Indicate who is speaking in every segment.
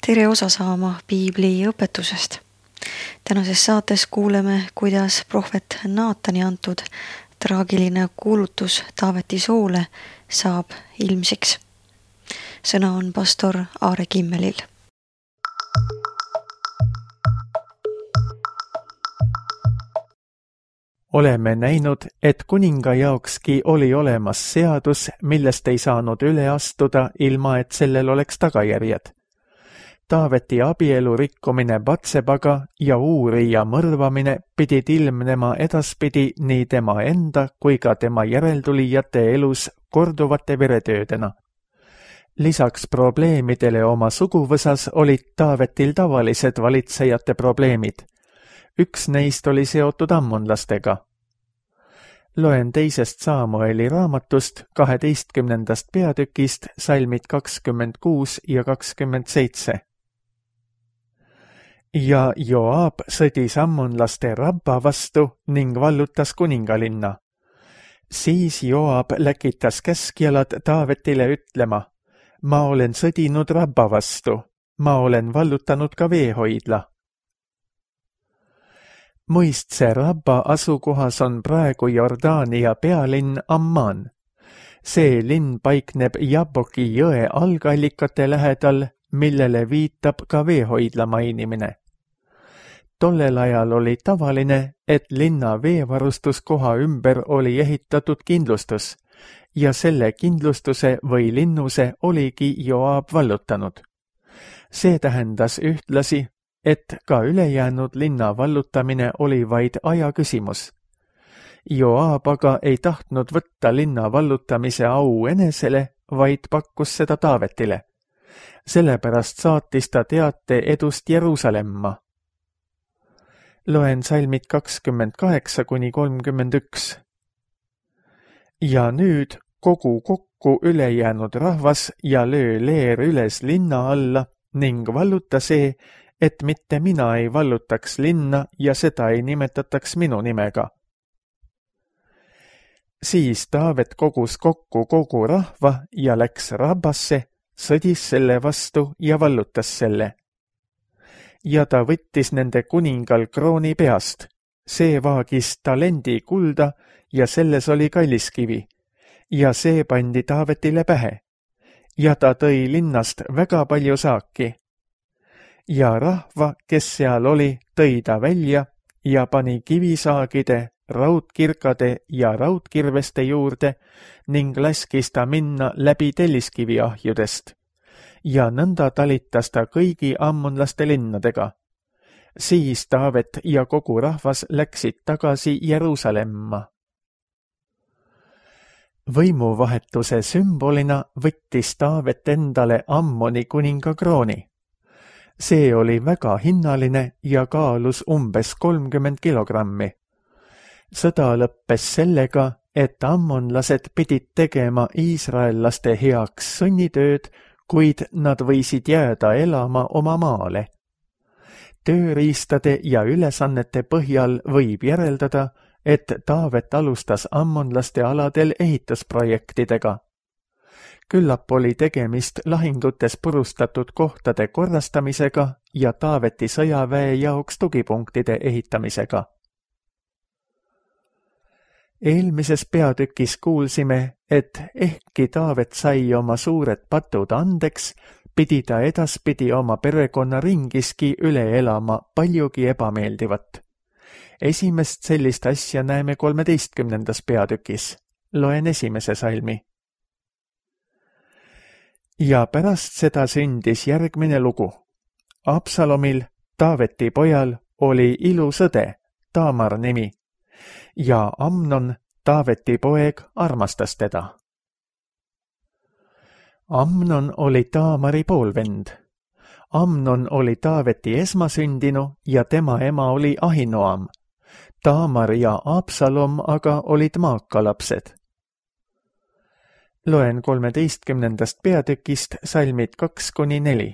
Speaker 1: Tere osa saama piibli õpetusest. Tänases saates kuuleme, kuidas prohvet Naatani antud traagiline kuulutus Taaveti soole saab ilmsiks. Sõna on pastor Aare Kimmelil.
Speaker 2: Oleme näinud, et kuninga jaokski oli olemas seadus, millest ei saanud üle astuda, ilma et sellel oleks tagajärjed. Taaveti abielu rikkumine Batsebaga ja Uurija mõrvamine pidid ilmnema edaspidi nii tema enda kui ka tema järeltulijate elus korduvate veretöödena. Lisaks probleemidele oma suguvõsas olid Taavetil tavalised valitsejate probleemid. Üks neist oli seotud ammonlastega. Loen 2. Saamueli raamatust 12. peatükist salmid 26 ja 27. Ja Joab sõdis ammonlaste Rabba vastu ning vallutas kuningalinna. Siis Joab läkitas käskjalad Taavetile ütlema: ma olen sõdinud Rabba vastu, ma olen vallutanud ka veehoidla. Muistse Rabba asukohas on praegu Jordaania pealinn Amman. See linn paikneb Jabboki jõe algallikate lähedal, millele viitab ka veehoidla mainimine. Tollel ajal oli tavaline, et linna veevarustuskoha ümber oli ehitatud kindlustus ja selle kindlustuse või linnuse oligi Joab vallutanud. See tähendas ühtlasi, et ka ülejäänud linna vallutamine oli vaid aja küsimus. Joab aga ei tahtnud võtta linna vallutamise au enesele, vaid pakkus seda Taavetile. Sellepärast saatis ta teate edust Jeruusalemma. Loen salmid 28–31. Ja nüüd kogu kokku ülejäänud rahvas ja löö leer üles linna alla ning valluta see, et mitte mina ei vallutaks linna ja seda ei nimetataks minu nimega. Siis Taavet kogus kokku kogu rahva ja läks Rabbasse, sõdis selle vastu ja vallutas selle. Ja ta võttis nende kuningal krooni peast. See vaagis talendi kulda ja selles oli kalliskivi. Ja see pandi Taavetile pähe. Ja ta tõi linnast väga palju saaki. Ja rahva, kes seal oli, tõi ta välja ja pani kivisaagide, raudkirkade ja raudkirveste juurde ning laskis ta minna läbi telliskiviahjudest. Ja nõnda talitas ta kõigi ammonlaste linnadega. Siis Taavet ja kogu rahvas läksid tagasi Jeruusalemma. Võimuvahetuse sümbolina võttis Taavet endale Ammoni kuninga krooni. See oli väga hinnaline ja kaalus umbes 30 kilogrammi. Sõda lõppes sellega, et ammonlased pidid tegema iisraellaste heaks sunnitööd, kuid nad võisid jääda elama oma maale. Tööriistade ja ülesannete põhjal võib järeldada, et Taavet alustas ammonlaste aladel ehitusprojektidega. Küllap oli tegemist lahingutes purustatud kohtade korrastamisega ja Taaveti sõjaväe jaoks tugipunktide ehitamisega. Eelmises peatükis kuulsime, et ehkki Taavet sai oma suured patud andeks, pidi ta edaspidi oma perekonna ringiski üle elama paljugi ebameeldivat. Esimest sellist asja näeme 13. peatükis. Loen 1. salmi. Ja pärast seda sündis järgmine lugu. Absalomil, Taaveti pojal, oli ilus õde, Taamar nimi, ja Amnon, Taaveti poeg, armastas teda. Amnon oli Taamari poolvend. Amnon oli Taaveti esmasündinu ja tema ema oli Ahinoam. Taamar ja Absalom aga olid maakalapsed. Loen 13. peatükist salmid 2–4.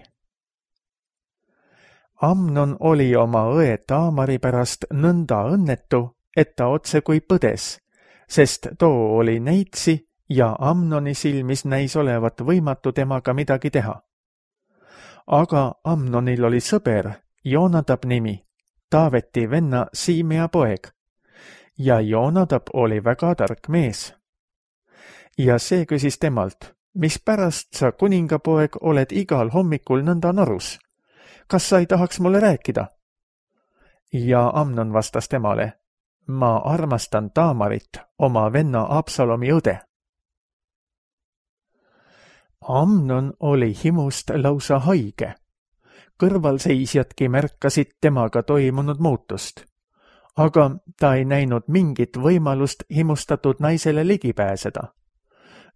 Speaker 2: Amnon oli oma õe Taamari pärast nõnda õnnetu, et ta otse kui põdes, sest too oli neitsi ja Amnoni silmis näis olevat võimatu temaga midagi teha. Aga Amnonil oli sõber, Joonadab nimi, Taaveti venna Siimea poeg. Ja Joonadab oli väga tark mees. Ja see küsis temalt, mispärast sa, kuningapoeg, oled igal hommikul nõnda narus? Kas sa ei tahaks mulle rääkida? Ja Amnon vastas temale, ma armastan Taamarit, oma venna Absalomi õde. Amnon oli himust lausa haige. Kõrvalseisjadki märkasid temaga toimunud muutust. Aga ta ei näinud mingit võimalust himustatud naisele ligi pääseda.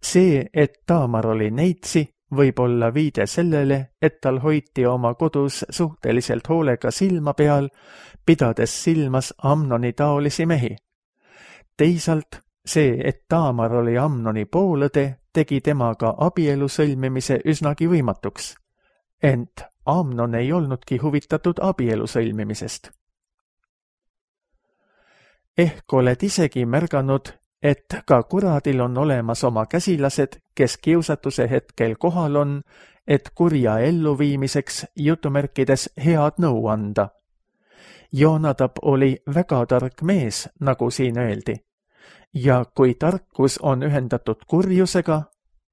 Speaker 2: See, et Taamar oli neitsi, võib olla viide sellele, et tal hoiti oma kodus suhteliselt hoolega silma peal, pidades silmas Amnoni taolisi mehi. Teisalt see, et Taamar oli Amnoni poolõde, tegi temaga abielu sõlmimise üsnagi võimatuks. Ent Amnon ei olnudki huvitatud abielu sõlmimisest. Ehk oled isegi märganud, et ka kuradil on olemas oma käsilased, kes kiusatuse hetkel kohal on, et kurja elluviimiseks jutumärkides head nõu anda. Joonadab oli väga tark mees, nagu siin öeldi. Ja kui tarkus on ühendatud kurjusega,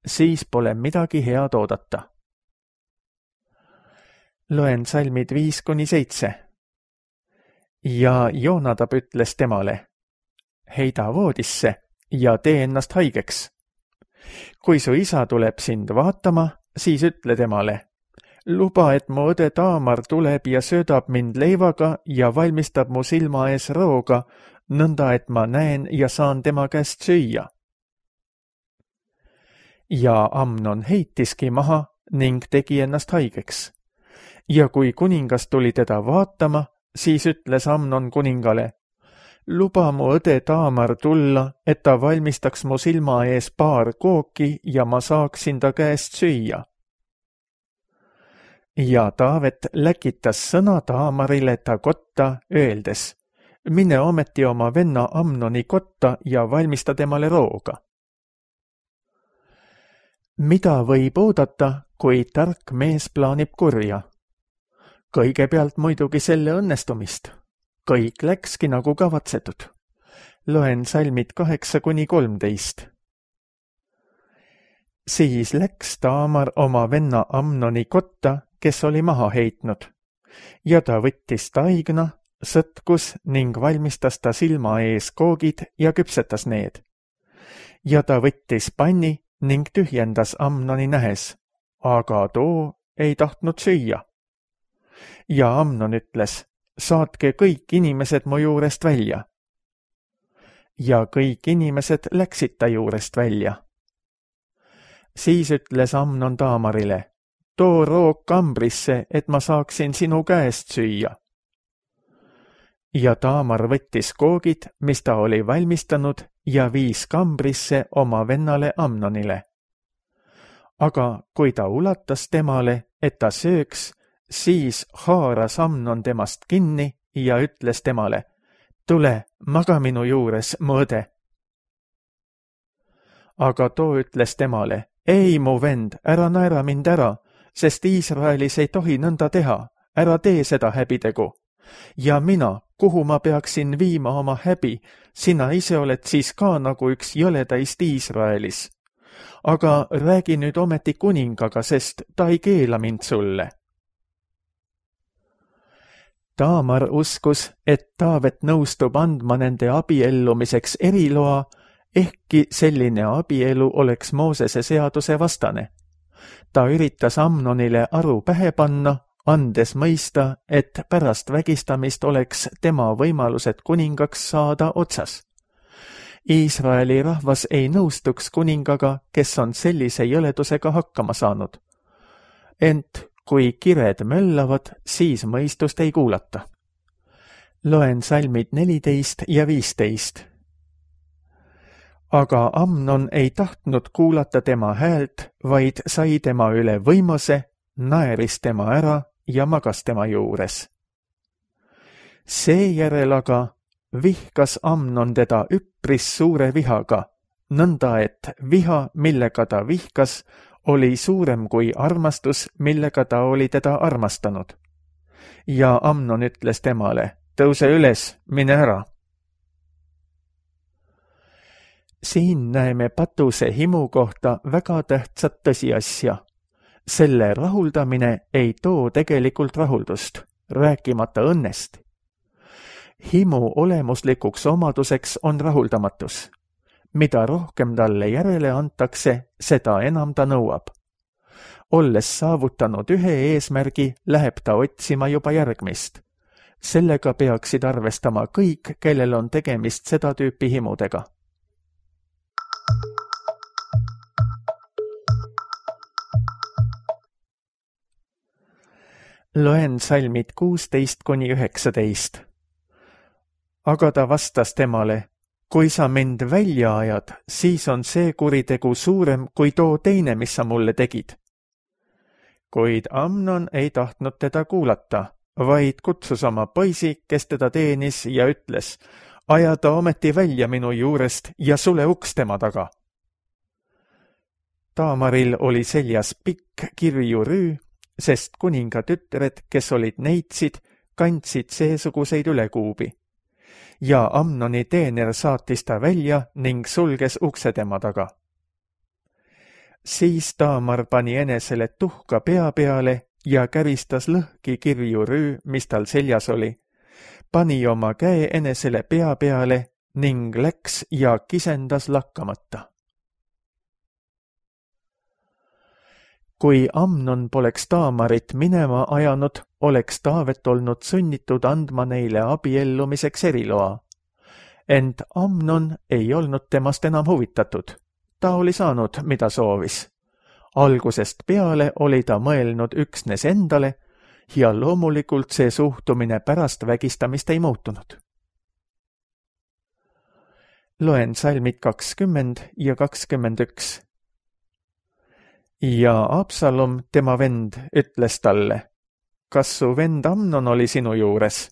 Speaker 2: siis pole midagi head oodata. Loen salmid 5-7. Ja Joonadab ütles temale, heida voodisse ja tee ennast haigeks. Kui su isa tuleb sind vaatama, siis ütle temale, luba, et mu õde Taamar tuleb ja söödab mind leivaga ja valmistab mu silma ees rooga, nõnda et ma näen ja saan tema käest süüa. Ja Amnon heitiski maha ning tegi ennast haigeks. Ja kui kuningas tuli teda vaatama, siis ütles Amnon kuningale, luba mu õde Taamar tulla, et ta valmistaks mu silma ees paar kooki ja ma saaksin ta käest süüa. Ja Taavet läkitas sõna Taamarile ta kotta, öeldes, mine ometi oma venna Amnoni kotta ja valmista temale rooga. Mida võib oodata, kui tark mees plaanib kurja? Kõigepealt muidugi selle õnnestumist. Kõik läkski nagu kavatsetud. Loen salmid 8-13. Siis läks Taamar oma venna Amnoni kotta, kes oli maha heitnud. Ja ta võttis taigna, sõtkus ning valmistas ta silma ees koogid ja küpsetas need. Ja ta võttis panni ning tühjendas Amnoni nähes, aga too ei tahtnud süüa. Ja Amnon ütles, saatke kõik inimesed mu juurest välja. Ja kõik inimesed läksid ta juurest välja. Siis ütles Amnon Taamarile, too roog kambrisse, et ma saaksin sinu käest süüa. Ja Taamar võttis koogid, mis ta oli valmistanud, ja viis kambrisse oma vennale Amnonile. Aga kui ta ulatas temale, et ta sööks, siis haaras Amnon temast kinni ja ütles temale, tule, maga minu juures, mu õde. Aga too ütles temale, ei, mu vend, ära naera mind ära, sest Iisraelis ei tohi nõnda teha, ära tee seda häbitegu. Ja mina, kuhu ma peaksin viima oma häbi, sina ise oled siis ka nagu üks jõledaist Iisraelis. Aga räägi nüüd ometi kuningaga, sest ta ei keela mind sulle. Taamar uskus, et Taavet nõustub andma nende abiellumiseks eriloa, ehkki selline abielu oleks Moosese seaduse vastane. Ta üritas Amnonile aru pähe panna, andes mõista, et pärast vägistamist oleks tema võimalused kuningaks saada otsas. Iisraeli rahvas ei nõustuks kuningaga, kes on sellise jõledusega hakkama saanud. Ent kui kired möllavad, siis mõistust ei kuulata. Loen salmid 14 ja 15. Aga Amnon ei tahtnud kuulata tema häält, vaid sai tema üle võimase, naeris tema ära ja magas tema juures. Seejärel aga vihkas Amnon teda üpris suure vihaga, nõnda et viha, millega ta vihkas, oli suurem kui armastus, millega ta oli teda armastanud. Ja Amnon ütles temale, tõuse üles, mine ära. Siin näeme patuse himu kohta väga tähtsat tõsiasja. Selle rahuldamine ei too tegelikult rahuldust, rääkimata õnnest. Himu olemuslikuks omaduseks on rahuldamatus. Mida rohkem talle järele antakse, seda enam ta nõuab. Olles saavutanud ühe eesmärgi, läheb ta otsima juba järgmist. Sellega peaksid arvestama kõik, kellel on tegemist seda tüüpi himudega. Loen salmid 16–19. Aga ta vastas temale, kui sa mind välja ajad, siis on see kuritegu suurem kui too teine, mis sa mulle tegid. Kuid Amnon ei tahtnud teda kuulata, vaid kutsus oma poisi, kes teda teenis ja ütles, aja ta ometi välja minu juurest ja sule uks tema taga. Taamaril oli seljas pikk kirju rüü, sest kuninga tütred, kes olid neitsid, kandsid seesuguseid ülekuubi. Ja Amnoni teener saatis ta välja ning sulges ukse tema taga. Siis Taamar pani enesele tuhka pea peale ja käristas lõhki kirju rüü, mis tal seljas oli, pani oma käe enesele pea peale ning läks ja kisendas lakkamata. Kui Amnon poleks Taamarit minema ajanud, oleks Taavet olnud sunnitud andma neile abiellumiseks eriloa. Ent Amnon ei olnud temast enam huvitatud. Ta oli saanud, mida soovis. Algusest peale oli ta mõelnud üksnes endale ja loomulikult see suhtumine pärast vägistamist ei muutunud. Loen salmid 20 ja 21. Ja Absalom, tema vend, ütles talle, kas su vend Amnon oli sinu juures?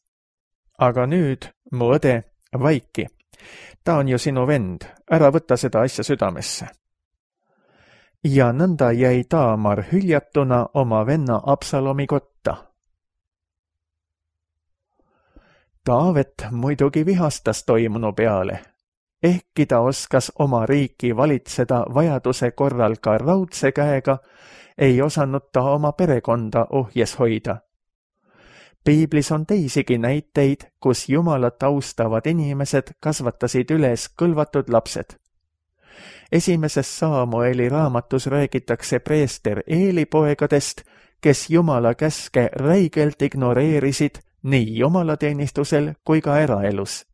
Speaker 2: Aga nüüd, mu õde, vaiki. Ta on ju sinu vend, ära võta seda asja südamesse. Ja nõnda jäi Taamar hüljatuna oma venna Absalomi kotta. Taavet muidugi vihastas toimunu peale. Ehkki ta oskas oma riiki valitseda vajaduse korral ka raudse käega, ei osanud ta oma perekonda ohjes hoida. Piiblis on teisigi näiteid, kus Jumalat austavad inimesed kasvatasid üles kõlvatud lapsed. Esimeses Saamueli raamatus räägitakse preester Eeli poegadest, kes Jumala käske räigelt ignoreerisid nii jumalateenistusel kui ka eraelus.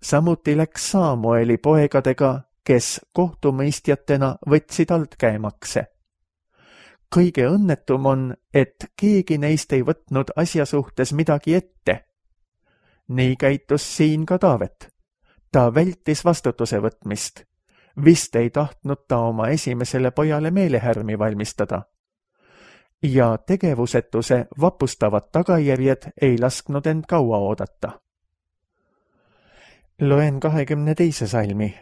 Speaker 2: Samuti läks Saamueli poegadega, kes kohtumõistjatena võtsid altkäemakse. Kõige õnnetum on, et keegi neist ei võtnud asja suhtes midagi ette. Nii käitus siin ka Taavet. Ta vältis vastutuse võtmist. Vist ei tahtnud ta oma esimesele pojale meelehärmi valmistada. Ja tegevusetuse vapustavad tagajärjed ei lasknud end kaua oodata. Loen 22. salmi.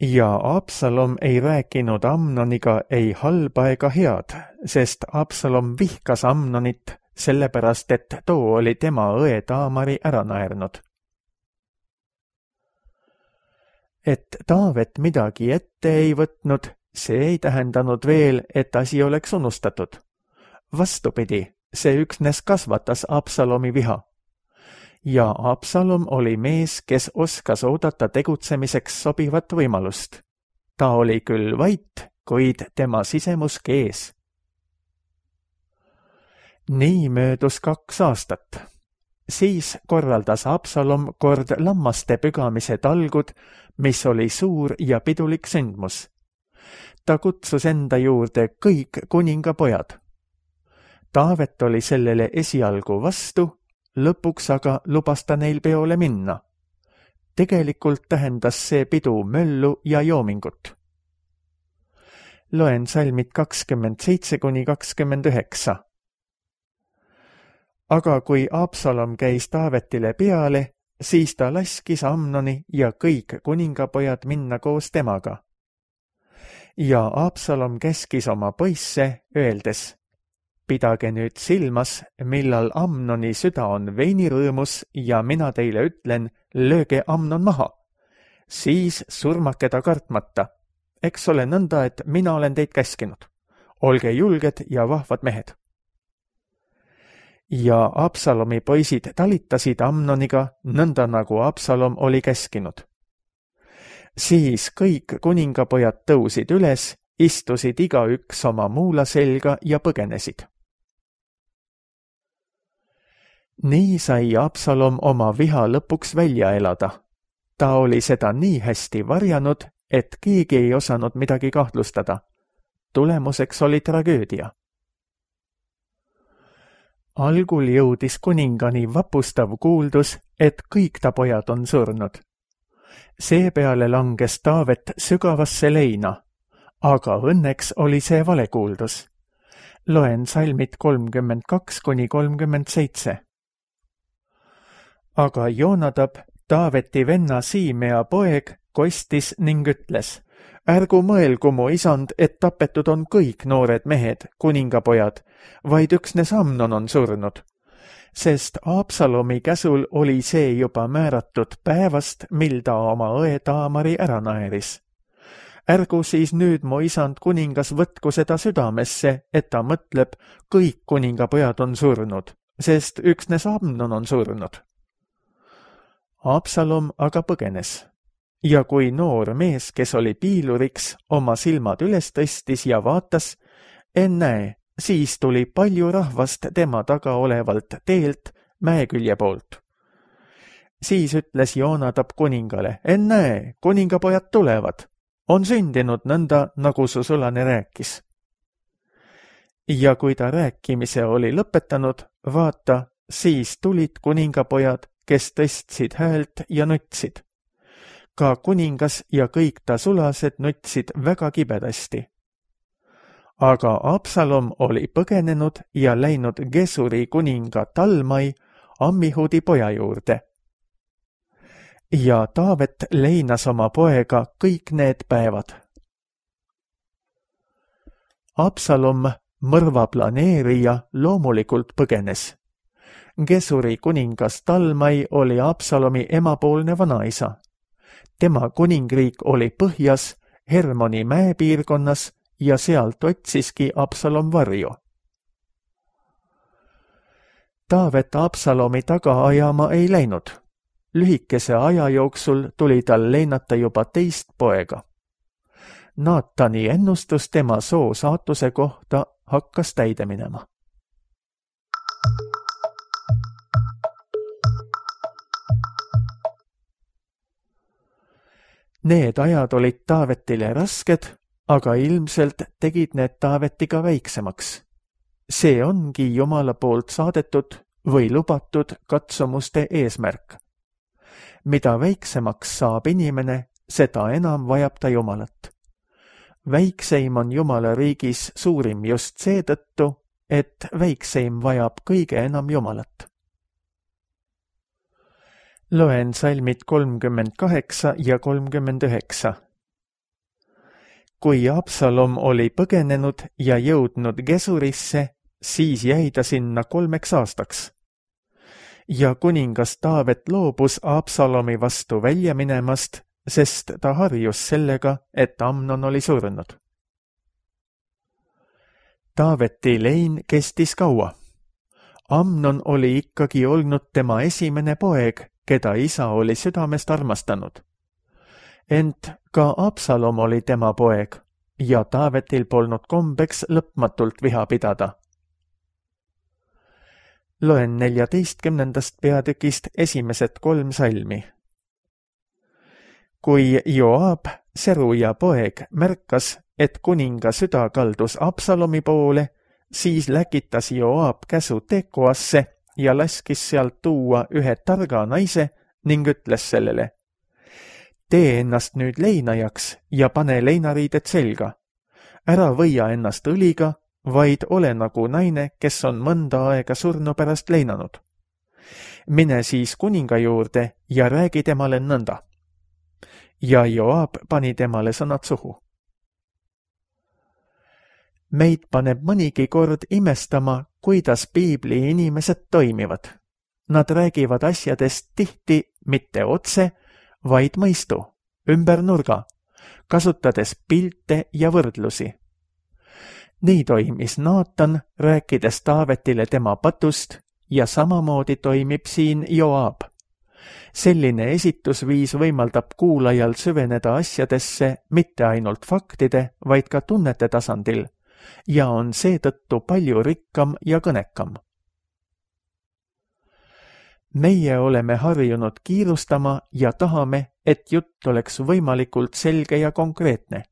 Speaker 2: Ja Absalom ei rääkinud Amnoniga ei halba ega head, sest Absalom vihkas Amnonit, sellepärast et too oli tema õe Taamari ära naernud. Et Taavet midagi ette ei võtnud, see ei tähendanud veel, et asi oleks unustatud. Vastupidi, see üksnes kasvatas Absalomi viha. Ja Absalom oli mees, kes oskas oodata tegutsemiseks sobivat võimalust. Ta oli küll vait, kuid tema sisemus kees. Nii möödus 2 aastat. Siis korraldas Absalom kord lammaste pügamise talgud, mis oli suur ja pidulik sündmus. Ta kutsus enda juurde kõik kuningapojad. Taavet oli sellele esialgu vastu, lõpuks aga lubas ta neil peole minna. Tegelikult tähendas see pidu möllu ja joomingut. Loen salmid 27–29. Aga kui Absalom käis Taavetile peale, siis ta laskis Amnoni ja kõik kuningapojad minna koos temaga. ja Absalom käskis oma poisse, öeldes: pidage nüüd silmas, millal Amnoni süda on veinirõõmus ja mina teile ütlen, lööge Amnon maha. Siis surmake ta kartmata. Eks ole nõnda, et mina olen teid käskinud. Olge julged ja vahvad mehed. Ja Absalomi poisid talitasid Amnoniga nõnda, nagu Absalom oli käskinud. Siis kõik kuningapojad tõusid üles, istusid igaüks oma muula selga ja põgenesid. Nii sai Absalom oma viha lõpuks välja elada. Ta oli seda nii hästi varjanud, et keegi ei osanud midagi kahtlustada. Tulemuseks oli tragöödia. Algul jõudis kuningani vapustav kuuldus, et kõik ta pojad on surnud. Seepeale langes Taavet sügavasse leina, aga õnneks oli see valekuuldus. Loen salmid 32–37. Aga Joonadab, Taaveti venna Siimea poeg, kostis ning ütles: ärgu mõelgu mu isand, et tapetud on kõik noored mehed, kuningapojad, vaid üksnes Amnon on surnud. Sest Absalomi käsul oli see juba määratud päevast, mil ta oma õe Taamari ära naeris. Ärgu siis nüüd mu isand kuningas võtku seda südamesse, et ta mõtleb, kõik kuningapojad on surnud, sest üksnes Amnon on surnud. Absalom aga põgenes. Ja kui noor mees, kes oli piiluriks, oma silmad üles tõstis ja vaatas, ennäe, siis tuli palju rahvast tema taga olevalt teelt mäekülje poolt. Siis ütles Joonadab kuningale: ennäe, kuningapojad tulevad. On sündinud nõnda, nagu su sulane rääkis. Ja kui ta rääkimise oli lõpetanud, vaata, siis tulid kuningapojad, kes tõstsid häält ja nutsid. Ka kuningas ja kõik ta sulased nutsid väga kibedasti. Aga Absalom oli põgenenud ja läinud Gesuri kuninga Talmai, Ammihudi poja juurde. Ja Taavet leinas oma poega kõik need päevad. Absalom, mõrva planeerija, loomulikult põgenes. Gesuri kuningas Talmai oli Absalomi emapoolne vanaisa. Tema kuningriik oli põhjas, Hermoni mäepiirkonnas ja sealt otsiski Absalom varju. Taavet Absalomi taga ajama ei läinud. Lühikese aja jooksul tuli tal leinata juba teist poega. Naatani ennustus tema soo saatuse kohta hakkas täide minema. Need ajad olid Taavetile rasked, aga ilmselt tegid need Taavetiga väiksemaks. See ongi Jumala poolt saadetud või lubatud katsumuste eesmärk. Mida väiksemaks saab inimene, seda enam vajab ta Jumalat. Väikseim on Jumala riigis suurim just seetõttu, et väikseim vajab kõige enam Jumalat. Loen salmid 38 ja 39. Kui Absalom oli põgenenud ja jõudnud Gesurisse, siis jäi ta sinna 3 aastaks. Ja kuningas Taavet loobus Absalomi vastu välja minemast, sest ta harjus sellega, et Amnon oli surnud. Taaveti lein kestis kaua. Amnon oli ikkagi olnud tema esimene poeg, keda isa oli südamest armastanud. Ent ka Absalom oli tema poeg ja Taavetil polnud kombeks lõpmatult viha pidada. Loen 14. peatükist esimesed 3 salmi. Kui Joab, Seruja poeg, märkas, et kuninga süda kaldus Absalomi poole, siis läkitas Joab käsu Tekoasse ja laskis sealt tuua ühe targa naise ning ütles sellele: tee ennast nüüd leinajaks ja pane leinariided selga. Ära võia ennast õliga, vaid ole nagu naine, kes on mõnda aega surnu pärast leinanud. Mine siis kuninga juurde ja räägi temale nõnda. Ja Joab pani temale sõnad suhu. Meid paneb mõnigi kord imestama, kuidas piibli inimesed toimivad. Nad räägivad asjadest tihti mitte otse, vaid mõistu, ümber nurga, kasutades pilte ja võrdlusi. Nii toimis Naatan, rääkides Taavetile tema patust, ja samamoodi toimib siin Joab. Selline esitusviis võimaldab kuulajal süveneda asjadesse mitte ainult faktide, vaid ka tunnete tasandil ja on seetõttu palju rikkam ja kõnekam. Meie oleme harjunud kiirustama ja tahame, et jutt oleks võimalikult selge ja konkreetne.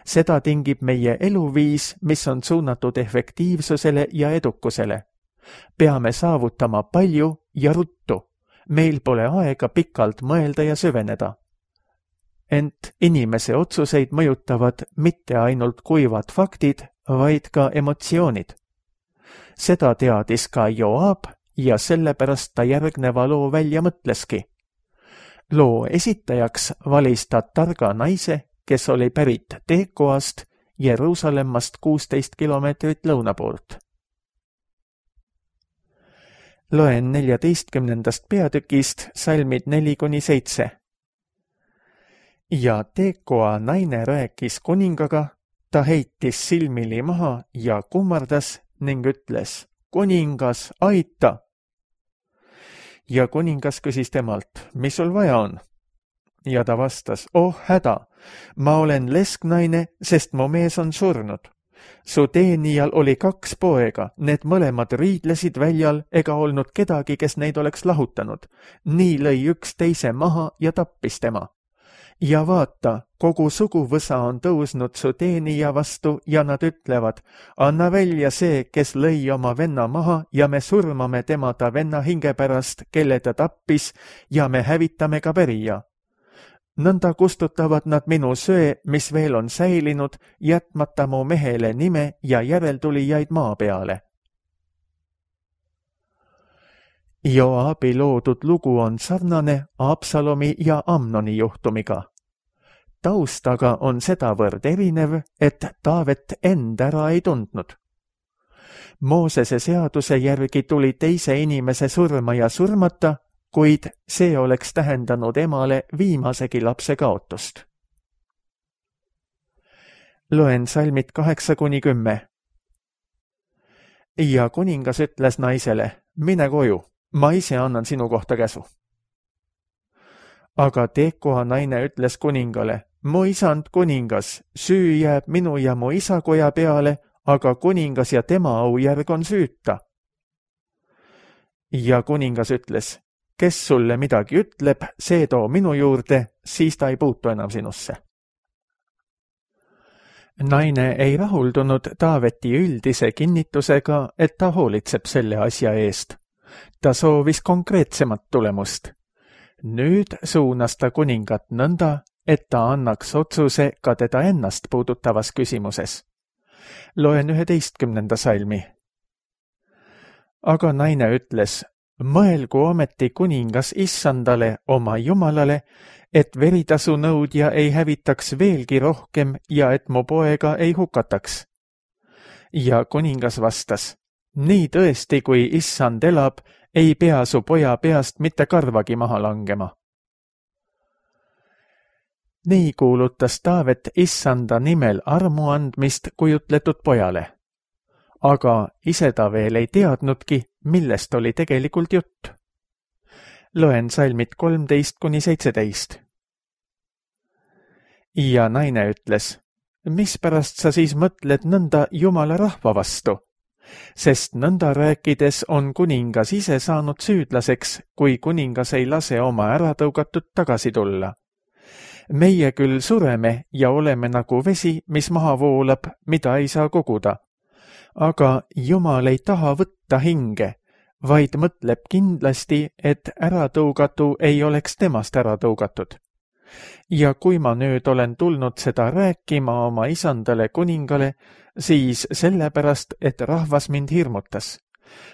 Speaker 2: Seda tingib meie eluviis, mis on suunatud efektiivsusele ja edukusele. Peame saavutama palju ja ruttu. Meil pole aega pikalt mõelda ja süveneda. Ent inimese otsuseid mõjutavad mitte ainult kuivad faktid, vaid ka emotsioonid. Seda teadis ka Joab ja sellepärast ta järgneva loo välja mõtleski. Loo esitajaks valis ta targa naise, kes oli pärit Tekoast, Jeruusalemmast 16 kilomeetrit lõuna poolt. Loen 14. peatükist salmid 4-7. Ja Tekoa naine rääkis kuningaga, ta heitis silmili maha ja kummardas ning ütles, kuningas, aita! Ja kuningas küsis temalt, mis sul vaja on? Ja ta vastas, oh häda, ma olen lesknaine, sest mu mees on surnud. Su teenijal oli 2 poega, need mõlemad riidlesid väljal ega olnud kedagi, kes neid oleks lahutanud. Nii lõi üks teise maha ja tappis tema. Ja vaata, kogu suguvõsa on tõusnud su teenija vastu ja nad ütlevad, anna välja see, kes lõi oma venna maha ja me surmame tema ta venna hinge pärast, kelle ta tappis ja me hävitame ka pärija. Nõnda kustutavad nad minu söe, mis veel on säilinud, jätmata mu mehele nime ja järeltulijaid maa peale. Joabi loodud lugu on sarnane Absalomi ja Amnoni juhtumiga. Taustaga on sedavõrd erinev, et Taavet end ära ei tundnud. Moosese seaduse järgi tuli teise inimese surma ja surmata, kuid see oleks tähendanud emale viimasegi lapse kaotust. Loen salmid 8-10. Ja kuningas ütles naisele, mine koju, ma ise annan sinu kohta käsu. Aga Tekoa naine ütles kuningale, mu isand kuningas, süü jääb minu ja mu isakoja peale, aga kuningas ja tema aujärg on süüta. Ja kuningas ütles, kes sulle midagi ütleb, see too minu juurde, siis ta ei puutu enam sinusse. Naine ei rahuldunud Taaveti üldise kinnitusega, et ta hoolitseb selle asja eest. Ta soovis konkreetsemat tulemust. Nüüd suunas ta kuningat nõnda, et ta annaks otsuse ka teda ennast puudutavas küsimuses. Loen 11. salmi. Aga naine ütles, mõelgu ometi kuningas issandale oma jumalale, et veritasu nõudja ei hävitaks veelgi rohkem ja et mu poega ei hukataks. Ja kuningas vastas, nii tõesti, kui issand elab, ei pea su poja peast mitte karvagi maha langema. Nii kuulutas Taavet issanda nimel armu andmist kujutletud pojale. Aga ise ta veel ei teadnudki, millest oli tegelikult jutt. Loen salmid 13-17. Ja naine ütles, mispärast sa siis mõtled nõnda jumala rahva vastu? Sest nõnda rääkides on kuningas ise saanud süüdlaseks, kui kuningas ei lase oma äratõugatud tagasi tulla. Meie küll sureme ja oleme nagu vesi, mis maha voolab, mida ei saa koguda. Aga Jumal ei taha võtta hinge, vaid mõtleb kindlasti, et äratõugatu ei oleks temast äratõugatud. Ja kui ma nüüd olen tulnud seda rääkima oma isandale kuningale, siis sellepärast, et rahvas mind hirmutas.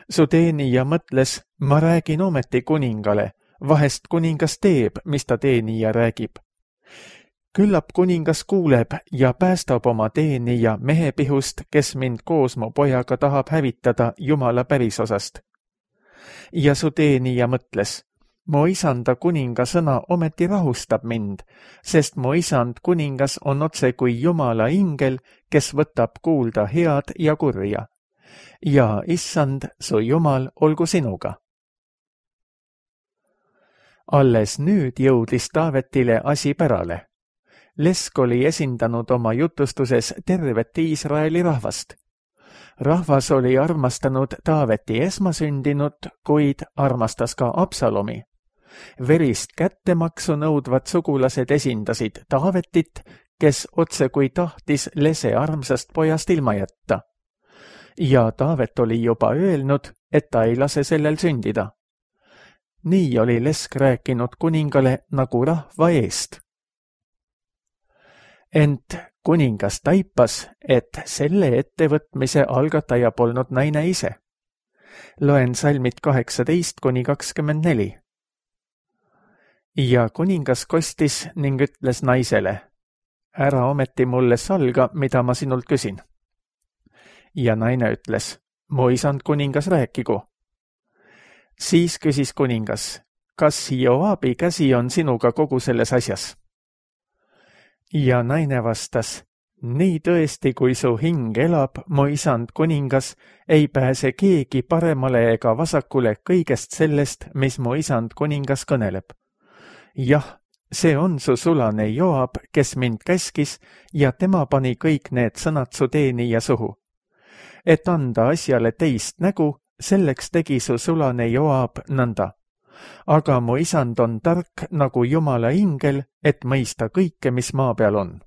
Speaker 2: Su teenija mõtles, ma räägin ometi kuningale, vahest kuningas teeb, mis ta teenija räägib. Küllap kuningas kuuleb ja päästab oma teenija mehepihust, kes mind koos mu pojaga tahab hävitada Jumala pärisosast. Ja su teenija mõtles, mu isanda kuninga sõna ometi rahustab mind, sest mu isand kuningas on otse kui Jumala ingel, kes võtab kuulda head ja kurja. Ja issand, su Jumal, olgu sinuga. Alles nüüd jõudis Taavetile asi pärale. Lesk oli esindanud oma jutustuses tervet Iisraeli rahvast. Rahvas oli armastanud Taaveti esmasündinut, kuid armastas ka Absalomi. Verist kättemaksu nõudvad sugulased esindasid Taavetit, kes otse kui tahtis lese armsast pojast ilma jätta. Ja Taavet oli juba öelnud, et ta ei lase sellel sündida. Nii oli Lesk rääkinud kuningale nagu rahva eest. Ent kuningas taipas, et selle ettevõtmise algataja polnud naine ise. Loen salmid 18-24. Ja kuningas kostis ning ütles naisele, ära ometi mulle salga, mida ma sinult küsin. Ja naine ütles, mu isand kuningas rääkigu. Siis küsis kuningas, kas Joabi käsi on sinuga kogu selles asjas? Ja naine vastas, nii tõesti, kui su hing elab, mu isand kuningas, ei pääse keegi paremale ega vasakule kõigest sellest, mis mu isand kuningas kõneleb. Jah, see on su sulane Joab, kes mind käskis ja tema pani kõik need sõnad su teenija suhu. Et anda asjale teist nägu, selleks tegi su sulane Joab nõnda. Aga mu isand on tark nagu Jumala ingel, et mõista kõike, mis maa peal on.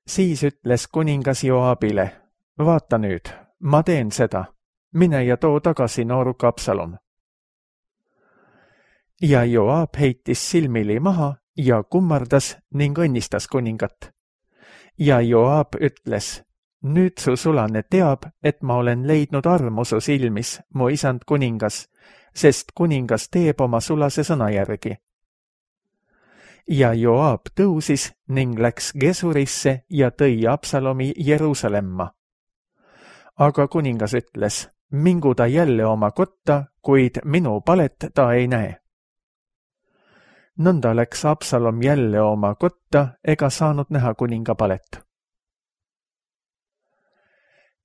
Speaker 2: Siis ütles kuningas Joabile, vaata nüüd, ma teen seda, mine ja too tagasi nooruk Absalom. Ja Joab heitis silmili maha ja kummardas ning õnnistas kuningat. Ja Joab ütles, nüüd su sulane teab, et ma olen leidnud armu su silmis, mu isand kuningas, sest kuningas teeb oma sulase sõna järgi. Ja Joab tõusis ning läks Gesurisse ja tõi Absalomi Jeruusalemma. Aga kuningas ütles, mingu ta jälle oma kotta, kuid minu palet ta ei näe. Nõnda läks Absalom jälle oma kotta ega saanud näha kuninga palet.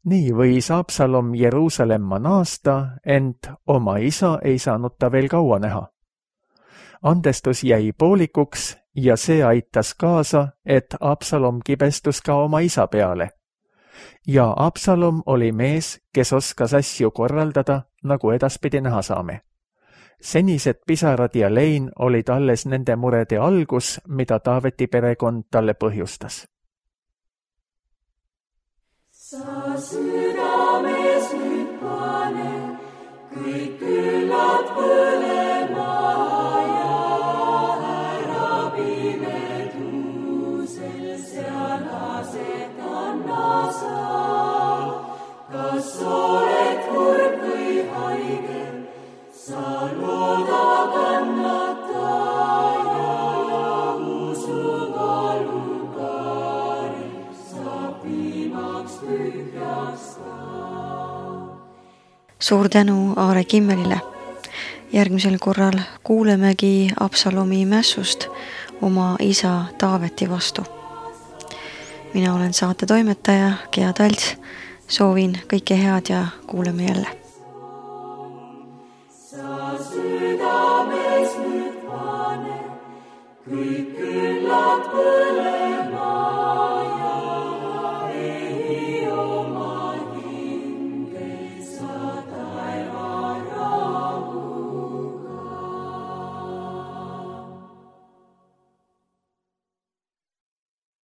Speaker 2: Nii võis Absalom Jeruusalemma naasta, ent oma isa ei saanud ta veel kaua näha. Andestus jäi poolikuks ja see aitas kaasa, et Absalom kibestus ka oma isa peale. Ja Absalom oli mees, kes oskas asju korraldada, nagu edaspidi näha saame. Senised pisarad ja lein olid alles nende murede algus, mida Taaveti perekond talle põhjustas.
Speaker 3: Sa südames nüüd pane, kõik küllad põlema ja ära pimedusel seal aset anna sa. Kas oled kurb või haige, sa looda kannata ja usu valukari saab viimaks tühjaks ka.
Speaker 1: Suur tänu Aare Kimmelile. Järgmisel korral kuulemegi Absalomi mässust oma isa Taaveti vastu. Mina olen saate toimetaja Gea Talts. Soovin kõike head ja kuuleme jälle.